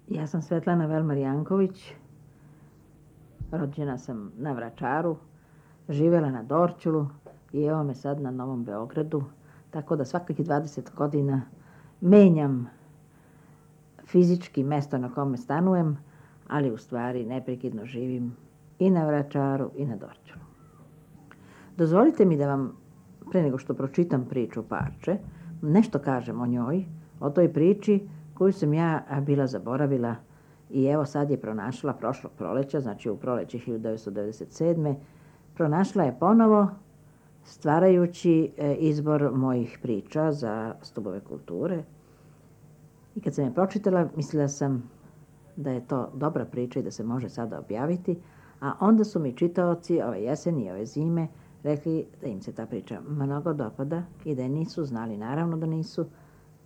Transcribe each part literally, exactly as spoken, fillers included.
Ja sam Svetlana Velmar Janković, rođena sam na Vračaru, živjela na Dorćolu i evo me sad na Novom Beogradu, tako da svakih dvadeset godina menjam fizički mesto na kome stanujem, ali u stvari neprekidno živim i na Vračaru i na Dorćolu. Dozvolite mi da vam, pre nego što pročitam priču Parče, nešto kažem o njoj, o toj priči koju sam ja bila zaboravila i evo sad je pronašla prošlog proleća, znači u proleće hiljadu devetsto devedeset sedme. Pronašla je ponovo stvarajući izbor mojih priča za Stubove kulture. I kad sam je pročitala, mislila sam da je to dobra priča i da se može sada objaviti, a onda su mi čitaoci ove jeseni i ove zime rekli da im se ta priča mnogo dopada i da je nisu znali. Naravno da nisu,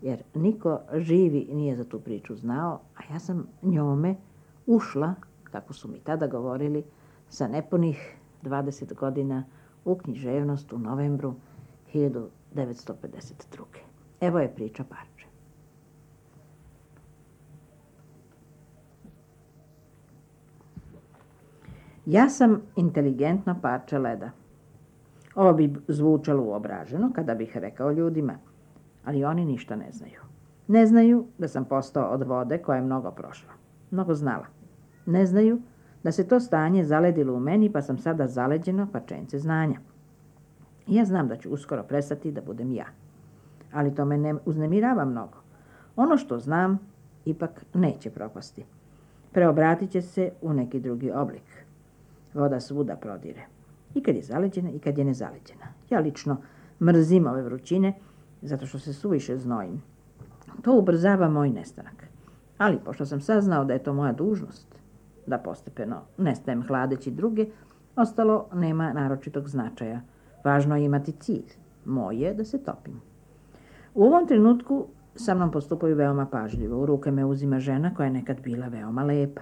jer niko živi nije za tu priču znao, a ja sam njome ušla, kako su mi tada govorili, sa nepunih dvadeset godina u književnost u novembru hiljadu devetsto pedeset druge. Evo je priča Parče. Ja sam inteligentno parče leda. Ovo bi zvučalo uobraženo kada bih rekao ljudima, ali oni ništa ne znaju. Ne znaju da sam postao od vode koja je mnogo prošla, mnogo znala. Ne znaju da se to stanje zaledilo u meni, pa sam sada zaleđeno parčence znanja. Ja znam da ću uskoro prestati da budem ja, ali to me ne uznemirava mnogo. Ono što znam ipak neće propasti. Preobratit će se u neki drugi oblik. Voda svuda prodire. I kad je zaleđena i kad je nezaleđena. Ja lično mrzim ove vrućine, zato što se suviše znojim. To ubrzava moj nestanak. Ali pošto sam saznao da je to moja dužnost, da postepeno nestajem hladeći druge, ostalo nema naročitog značaja. Važno je imati cilj. Moj je da se topim. U ovom trenutku sa mnom postupaju veoma pažljivo. U ruke me uzima žena koja je nekad bila veoma lepa.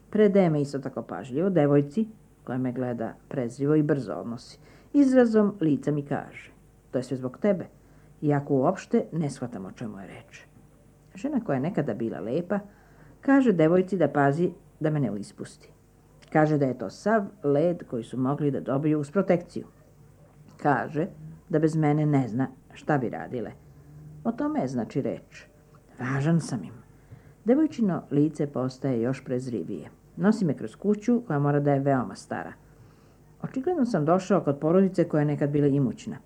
Predaje me isto tako pažljivo devojci koja me gleda prezrivo i brzo odnosi. Izrazom lica mi kaže, to je sve zbog tebe, iako uopšte ne shvatam o čemu je reč. Žena koja je nekada bila lepa kaže devojci da pazi da me ne ispusti. Kaže da je to sav led koji su mogli da dobiju uz protekciju. Kaže da bez mene ne zna šta bi radile. O tome je znači reč. Važan sam im. Devojčino lice postaje još prezrivije. Nosi me kroz kuću koja mora da je veoma stara. Očigledno sam došao kod porodice koja je nekad bila imućna.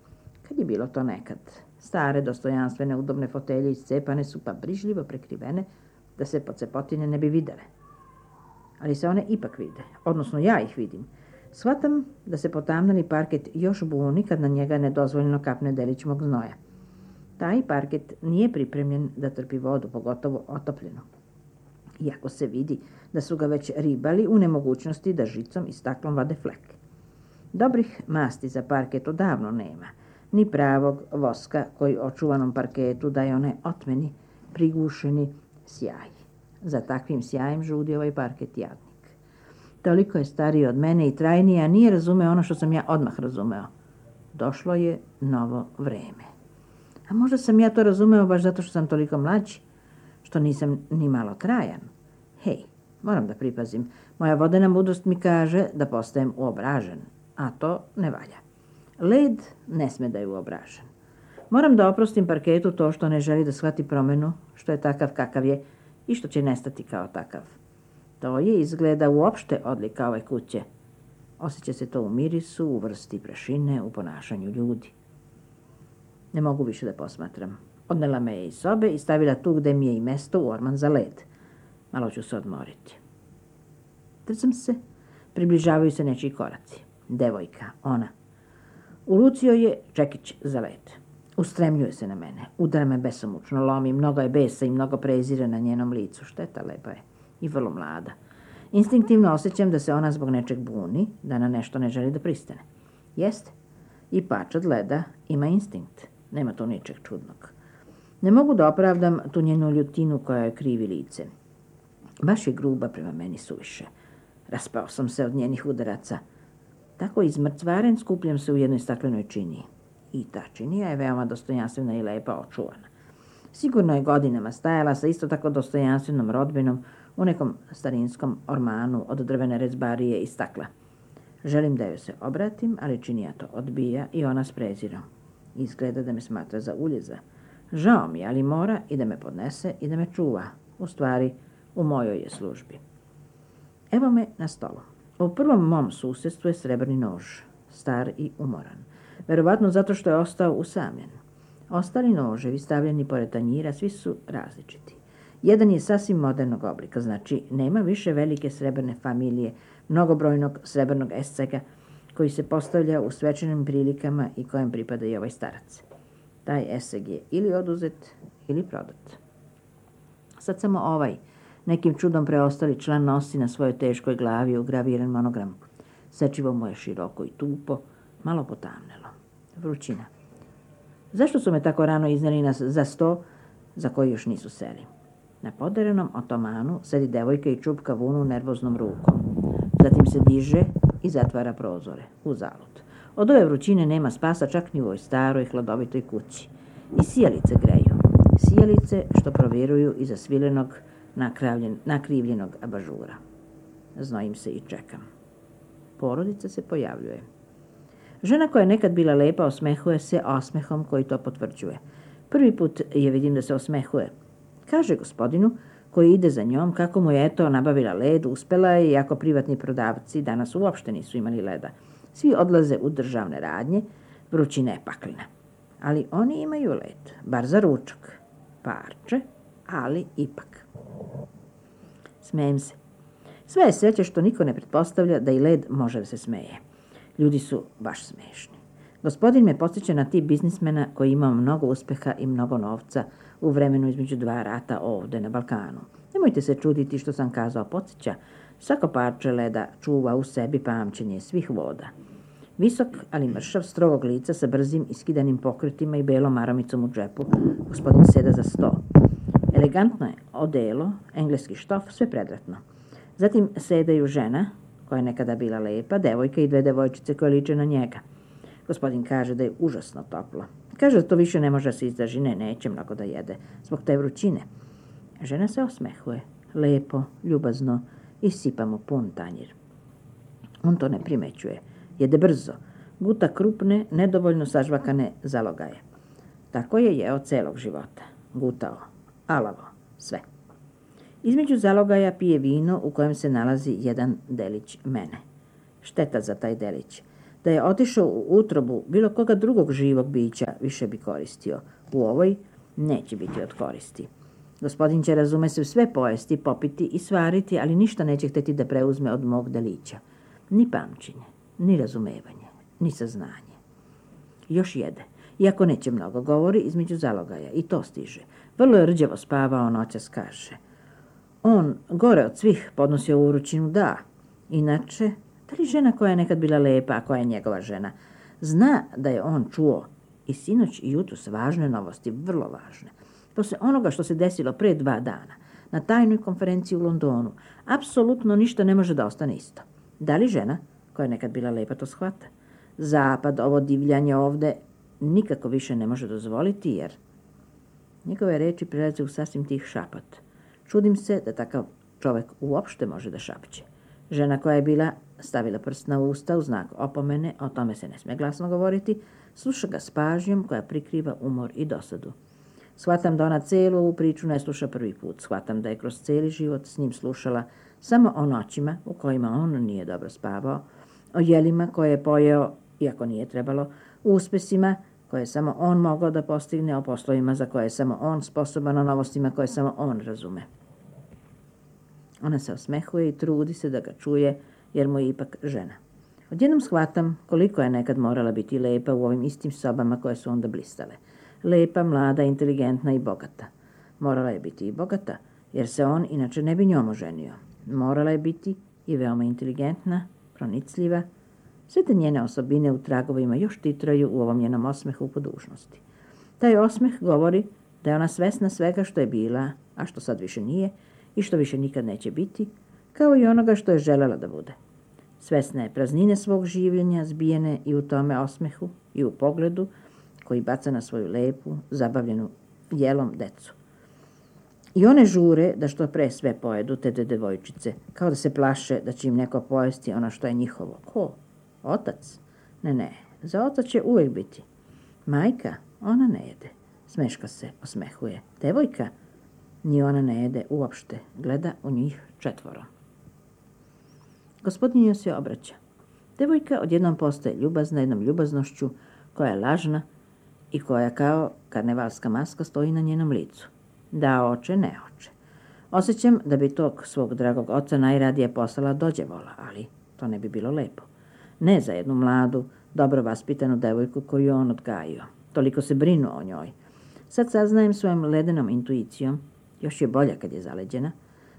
Kad je bilo to nekad? Stare, dostojanstvene, udobne fotelje iscepane su pa brižljivo prekrivene da se pocepotine ne bi videle. Ali se one ipak vide, odnosno ja ih vidim. Shvatam da se potamnali parket još buni kad na njega nedozvoljeno kapne delić mog znoja. Taj parket nije pripremljen da trpi vodu, pogotovo otopljenu. Iako se vidi da su ga već ribali u nemogućnosti da žicom i staklom vade flek. Dobrih masti za parket odavno nema, ni pravog voska koji očuvanom parketu daje onaj otmeni, prigušeni sjaj. Za takvim sjajem žudi ovaj parket jadnik. Toliko je stariji od mene i trajniji, a nije razumeo ono što sam ja odmah razumeo. Došlo je novo vreme. A možda sam ja to razumeo baš zato što sam toliko mlađi, što nisam ni malo trajan. Hej, moram da pripazim. Moja vodena mudrost mi kaže da postajem uobražen, a to ne valja. Led ne sme da je uobražen. Moram da oprostim parketu to što ne želi da shvati promenu, što je takav kakav je i što će nestati kao takav. To je izgleda uopšte odlika ove kuće. Osjeća se to u mirisu, u vrsti prašine, u ponašanju ljudi. Ne mogu više da posmatram. Odnela me je iz sobe i stavila tu gde mi je i mesto u orman za led. Malo ću se odmoriti. Trzam se, približavaju se nečiji koraci. Devojka, ona. U ruci joj je čekić za led. Ustremljuje se na mene, udara me besomučno, lomi, mnogo je besa i mnogo prezira na njenom licu. Šteta, lepa je i vrlo mlada. Instinktivno osjećam da se ona zbog nečeg buni, da na nešto ne želi da pristane. Jeste, i pačad leda ima instinkt, nema tu ničeg čudnog. Ne mogu da opravdam tu njenu ljutinu koja je krivi lice. Baš je gruba prema meni suviše. Raspao sam se od njenih udaraca. Tako izmrcvaren skupljam se u jednoj staklenoj činiji. I ta činija je veoma dostojanstvena i lepa očuvana. Sigurno je godinama stajala sa isto tako dostojanstvenom rodbinom u nekom starinskom ormanu od drvene rezbarije i stakla. Želim da joj se obratim, ali činija to odbija i ona s prezirom. Izgleda da me smatra za uljeza. Žao mi, ali mora i da me podnese i da me čuva. U stvari, u mojoj je službi. Evo me na stolu. U prvom mom susjedstvu je srebrni nož, star i umoran. Verovatno zato što je ostao usamljen. Ostali noževi stavljeni pored tanjira svi su različiti. Jedan je sasvim modernog oblika, znači nema više velike srebrne familije, mnogobrojnog srebrnog escega koji se postavlja u svečanim prilikama i kojem pripada i ovaj starac. Taj eseg je ili oduzet ili prodat. Sad samo ovaj, nekim čudom preostali član nosi na svojoj teškoj glavi ugraviran monogram. Sečivo mu je široko i tupo, malo potamnelo. Vrućina. Zašto su me tako rano izneli nas za sto za koji još nisu seli? Na poderenom otomanu sedi devojka i čupka vunu nervoznom rukom. Zatim se diže i zatvara prozore. Uzalud. Od ove vrućine nema spasa čak ni u ovoj staroj hladovitoj kući. I sijalice greju. Sijalice što proviruju iza svilenog nakrivljenog abažura. Znojim se i čekam. Porodica se pojavljuje. Žena koja je nekad bila lepa osmehuje se osmehom koji to potvrđuje. Prvi put je vidim da se osmehuje. Kaže gospodinu koji ide za njom kako mu je eto nabavila led, uspela je, iako privatni prodavci danas uopšte nisu imali leda. Svi odlaze u državne radnje, vrućina je paklina. Ali oni imaju led, bar za ručak. Parče, ali ipak. Smejem se. Sve je sreće što niko ne pretpostavlja da i led može da se smeje. Ljudi su baš smešni. Gospodin me podsjeća na tip biznismena koji imao mnogo uspeha i mnogo novca u vremenu između dva rata ovde na Balkanu. Nemojte se čuditi što sam kazao podsjeća. Svako parče leda čuva u sebi pamćenje svih voda. Visok, ali mršav, strogog lica sa brzim iskidanim pokretima i belom maromicom u džepu, gospodin seda za sto. Elegantno je odelo, engleski štof, sve predratno. Zatim sedaju žena, koja je nekada bila lepa, devojka i dve devojčice koje liče na njega. Gospodin kaže da je užasno toplo. Kaže da to više ne može da se izdrži, ne, neće mnogo da jede, zbog te vrućine. Žena se osmehuje, lepo, ljubazno i sipa mu pun tanjir. On to ne primećuje. Jede brzo, guta krupne, nedovoljno sažvakane zalogaje. Tako je jeo celog života. Gutao, alavo, sve. Između zalogaja pije vino u kojem se nalazi jedan delić mene. Šteta za taj delić. Da je otišao u utrobu bilo koga drugog živog bića više bi koristio. U ovoj neće biti od koristi. Gospodin će, razume se, sve pojesti, popiti i svariti, ali ništa neće hteti da preuzme od mog delića. Ni pamćenje, ni razumevanje, ni saznanje. Još jede. Iako neće mnogo, govori između zalogaja. I to stiže. Vrlo je rđavo spavao, noćas kaže. On, gore od svih, podnosio u vrućinu, da. Inače, da li žena koja je nekad bila lepa, a koja je njegova žena, zna da je on čuo i sinoć i jutros važne novosti, vrlo važne. Posle onoga što se desilo pre dva dana, na tajnoj konferenciji u Londonu, apsolutno ništa ne može da ostane isto. Da li žena, koja je nekad bila lepa, to shvata? Zapad, ovo divljanje ovde, nikako više ne može dozvoliti, jer njegove reči prelaze u sasvim tih šapat. Čudim se da takav čovek uopšte može da šapće. Žena koja je bila stavila prst na usta u znak opomene, o tome se ne sme glasno govoriti, sluša ga s pažnjom koja prikriva umor i dosadu. Shvatam da ona celu ovu priču ne sluša prvi put. Shvatam da je kroz cijeli život s njim slušala samo o noćima u kojima on nije dobro spavao, o jelima koje je pojeo, iako nije trebalo, o uspesima koje je samo on mogao da postigne, o poslovima za koje je samo on sposoban, o novostima koje samo on razume. Ona se osmehuje i trudi se da ga čuje, jer mu je ipak žena. Odjednom shvatam koliko je nekad morala biti lepa u ovim istim sobama koje su onda blistale. Lepa, mlada, inteligentna i bogata. Morala je biti i bogata, jer se on inače ne bi njom oženio. Morala je biti i veoma inteligentna, pronicljiva. Sve te njene osobine u tragovima još titraju u ovom njenom osmehu po dužnosti. Taj osmeh govori da je ona svesna svega što je bila, a što sad više nije, i što više nikad neće biti, kao i onoga što je želela da bude. Svesna je praznine svog življenja, zbijene i u tome osmehu i u pogledu koji baca na svoju lepu, zabavljenu jelom decu. I one žure da što pre sve pojedu te devojčice, kao da se plaše da će im neko pojesti ono što je njihovo. Ko? Otac? Ne, ne, za oca će uvijek biti. Majka? Ona ne jede. Smeška se, osmehuje. Devojka? Ni ona ne jede uopšte. Gleda u njih četvoro. Gospodin joj se obraća. Devojka odjednom postaje ljubazna jednom ljubaznošću koja je lažna i koja kao karnevalska maska stoji na njenom licu. Da, oče, ne oče. Osjećam da bi tog svog dragog oca najradije poslala dođevola, ali to ne bi bilo lepo. Ne za jednu mladu, dobro vaspitanu devojku koju on odgajio. Toliko se brinu o njoj. Sad saznajem svojom ledenom intuicijom, još je bolja kad je zaleđena,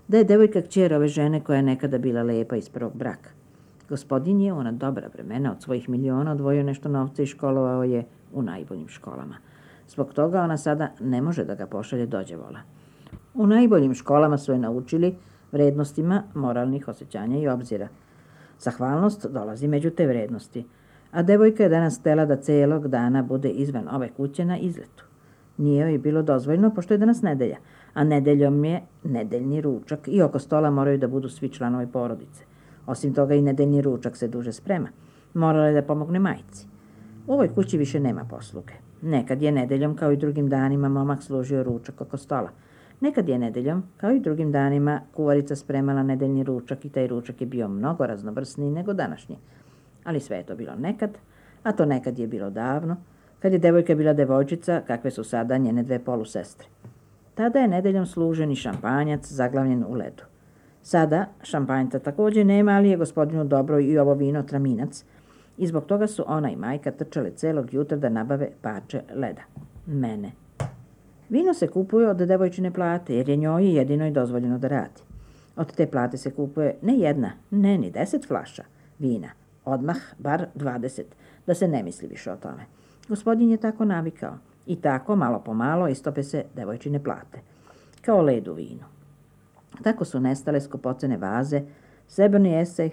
da je devojka kćer ove žene koja je nekada bila lepa iz prvog braka. Gospodin je u ona dobra vremena od svojih miliona odvojio nešto novca i školovao je u najboljim školama. Zbog toga ona sada ne može da ga pošalje dođevola. U najboljim školama su je naučili vrednostima moralnih osjećanja i obzira. Zahvalnost dolazi među te vrednosti, a devojka je danas htela da celog dana bude izvan ove kuće na izletu. Nije joj bilo dozvoljno, pošto je danas nedelja, a nedeljom je nedeljni ručak i oko stola moraju da budu svi članovi porodice. Osim toga i nedeljni ručak se duže sprema. Morala je da pomogne majci. U ovoj kući više nema posluge. Nekad je nedeljom, kao i drugim danima, momak služio ručak oko stola. Nekad je nedeljom, kao i drugim danima, kuvarica spremala nedeljni ručak i taj ručak je bio mnogo raznovrsniji nego današnji. Ali sve je to bilo nekad, a to nekad je bilo davno, kad je devojka bila devojčica, kakve su sada njene dve polusestre. Tada je nedeljom služen i šampanjac zaglavljen u ledu. Sada šampanjca također nema, ali je gospodinu dobro i ovo vino traminac, i zbog toga su ona i majka trčale celog jutra da nabave parče leda. Mene. Vino se kupuje od devojčine plate, jer je njoj jedino i dozvoljeno da radi. Od te plate se kupuje ne jedna, ne ni deset flaša vina, odmah bar dvadeset, da se ne misli više o tome. Gospodin je tako navikao i tako, malo po malo, istope se devojčine plate, kao led u vinu. Tako su nestale skupocene vaze, srebrni esej,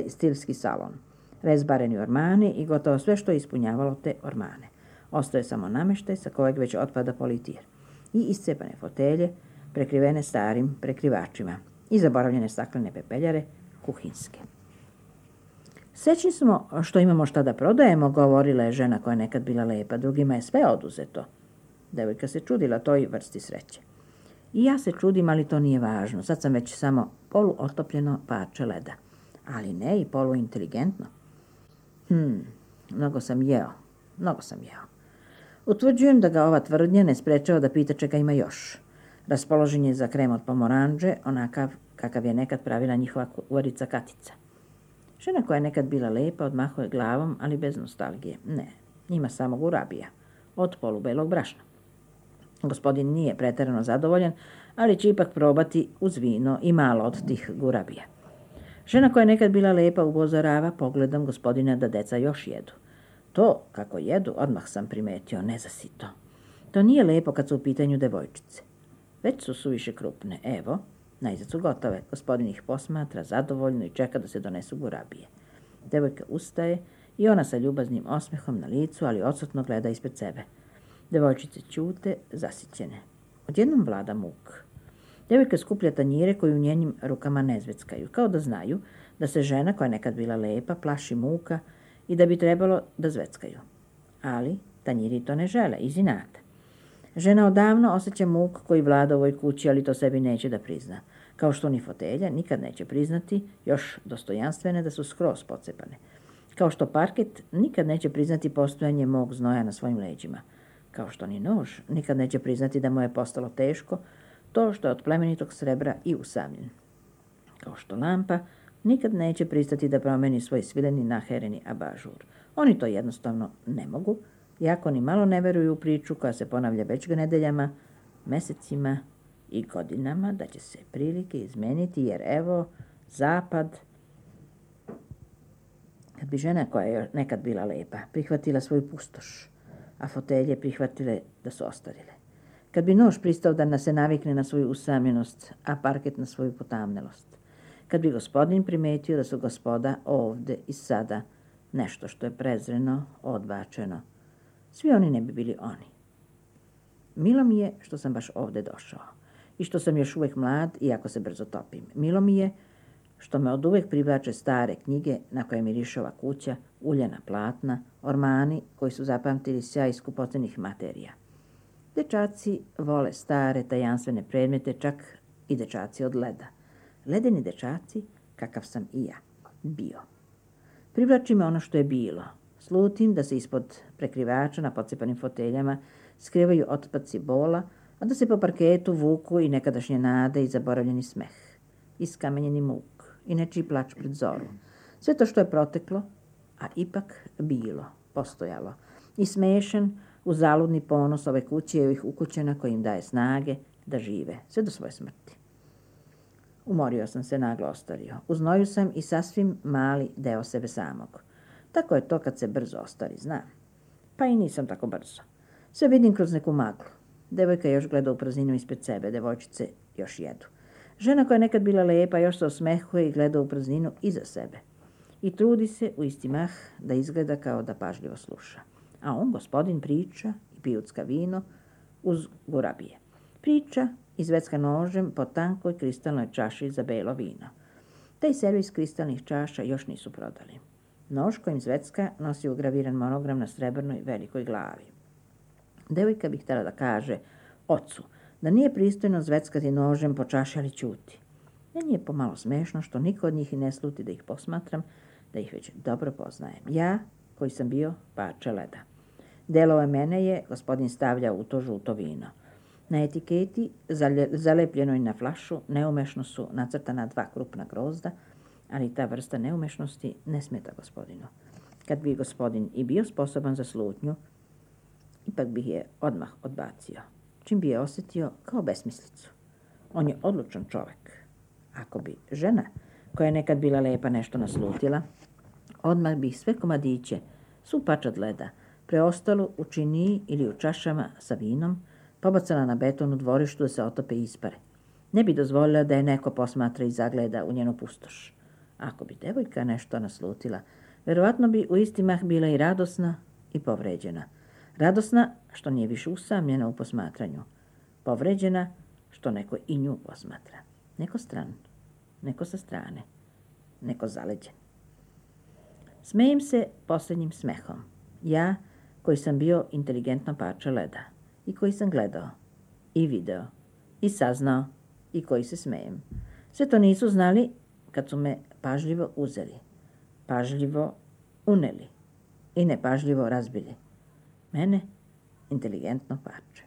stilski salon, rezbareni ormani i gotovo sve što je ispunjavalo te ormane. Ostaje samo nameštaj sa kojeg već otpada politir i iscepane fotelje, prekrivene starim prekrivačima i zaboravljene staklene pepeljare, kuhinske. Srećni smo što imamo šta da prodajemo, govorila je žena koja je nekad bila lepa, drugima je sve oduzeto. Devojka se čudila toj vrsti sreće. I ja se čudim, ali to nije važno. Sad sam već samo poluotopljeno parče leda. Ali ne i poluinteligentno. Hmm, mnogo sam jeo, mnogo sam jeo. Utvrđujem da ga ova tvrdnja ne sprečava da pita čega ima još. Raspoložen je za krem od pomoranđe, onakav kakav je nekad pravila njihova kuvarica Katica. Žena koja je nekad bila lepa odmahuje glavom, ali bez nostalgije. Ne, ima samo gurabija, od polubelog brašna. Gospodin nije preterano zadovoljan, ali će ipak probati uz vino i malo od tih gurabija. Žena koja je nekad bila lepa upozorava pogledom gospodina da deca još jedu. To, kako jedu, odmah sam primetio, nezasito. To nije lepo kad su u pitanju devojčice. Već su suviše krupne. Evo, najzad su gotove. Gospodin ih posmatra zadovoljno i čeka da se donesu gurabije. Devojka ustaje i ona sa ljubaznim osmehom na licu, ali odsutno gleda ispred sebe. Devojčice ćute, zasićene. Odjednom vlada muk. Devojka skuplja tanjire koji u njenim rukama ne zveckaju, kao da znaju da se žena koja je nekad bila lepa plaši muka i da bi trebalo da zveckaju. Ali tanjiri to ne žele, iz inata. Žena odavno osjeća muk koji vlada u ovoj kući, ali to sebi neće da prizna. Kao što ni fotelja nikad neće priznati, još dostojanstvene, da su skroz pocepane. Kao što parket nikad neće priznati postojanje mog znoja na svojim leđima. Kao što ni nož nikad neće priznati da mu je postalo teško to što je od plemenitog srebra i usamljen. Kao što lampa nikad neće pristati da promeni svoj svileni nahereni abažur. Oni to jednostavno ne mogu, iako ni malo ne veruju u priču koja se ponavlja već nedeljama, mesecima i godinama, da će se prilike izmeniti, jer evo, zapad. Kad bi žena koja je nekad bila lepa prihvatila svoju pustoš, a fotelje prihvatile da su ostarile. Kad bi nož pristao da se navikne na svoju usamljenost, a parket na svoju potamnelost. Kad bi gospodin primetio da su gospoda ovde i sada nešto što je prezreno, odbačeno. Svi oni ne bi bili oni. Milo mi je što sam baš ovde došao i što sam još uvijek mlad, iako se brzo topim. Milo mi je što me od uvijek privlače stare knjige na koje mirišova kuća, uljana platna, ormani koji su zapamtili sjaj skupocenih materija. Dečaci vole stare, tajanstvene predmete, čak i dečaci od leda. Ledeni dečaci, kakav sam i ja, bio. Privlači me ono što je bilo. Slutim da se ispod prekrivača na pocepanim foteljama skrivaju otpaci bola, a da se po parketu vuku i nekadašnje nade i zaboravljeni smeh, iskamenjeni muk i nečiji plač pred zoru. Sve to što je proteklo, a ipak bilo, postojalo, i smešan u zaludni ponos ove kuće i ovih ukućena koji im daje snage da žive, sve do svoje smrti. Umorio sam se, naglo ostario. U znoju sam i sasvim mali deo sebe samog. Tako je to kad se brzo ostari, znam. Pa i nisam tako brzo. Sve vidim kroz neku maglu. Devojka još gleda u prazninu ispred sebe, devojčice još jedu. Žena koja je nekad bila lepa još se osmehuje i gleda u prazninu iza sebe. I trudi se u isti mah da izgleda kao da pažljivo sluša. A on, gospodin, priča i pijucka vino uz gurabije. Priča i zvecka nožem po tankoj kristalnoj čaši za belo vino. Taj servis kristalnih čaša još nisu prodali. Nož kojim zvecka nosi ugraviran monogram na srebrnoj velikoj glavi. Devojka bi htjela da kaže ocu da nije pristojno zveckati nožem po čaši, ali ćuti. Meni je pomalo smešno što niko od njih i ne sluti da ih posmatram, da ih već dobro poznajem. Ja, koji sam bio parče leda. Delove mene je gospodin stavljao u to žuto vino. Na etiketi, zalepljenoj na flašu, neumešno su nacrtana dva krupna grozda, ali ta vrsta neumešnosti ne smeta gospodinu. Kad bi gospodin i bio sposoban za slutnju, ipak bih je odmah odbacio, čim bi je osjetio kao besmislicu. On je odlučan čovek. Ako bi žena, koja je nekad bila lepa, nešto naslutila, odmah bih sve komadiće, svu pačad leda, preostalu u činiji ili u čašama sa vinom, pobacala na beton u dvorištu da se otope i ispare. Ne bi dozvolila da je neko posmatra i zagleda u njenu pustoš. Ako bi devojka nešto naslutila, verovatno bi u isti mah bila i radosna i povređena. Radosna što nije više usamljena u posmatranju. Povređena što neko i nju posmatra. Neko stran, neko sa strane, neko zaleđen. Smejem se posljednjim smehom. Ja, koji sam bio inteligentno parče leda i koji sam gledao i video i saznao i koji se smejem. Sve to nisu znali kad su me pažljivo uzeli, pažljivo uneli i nepažljivo razbili. Mene inteligentno parče.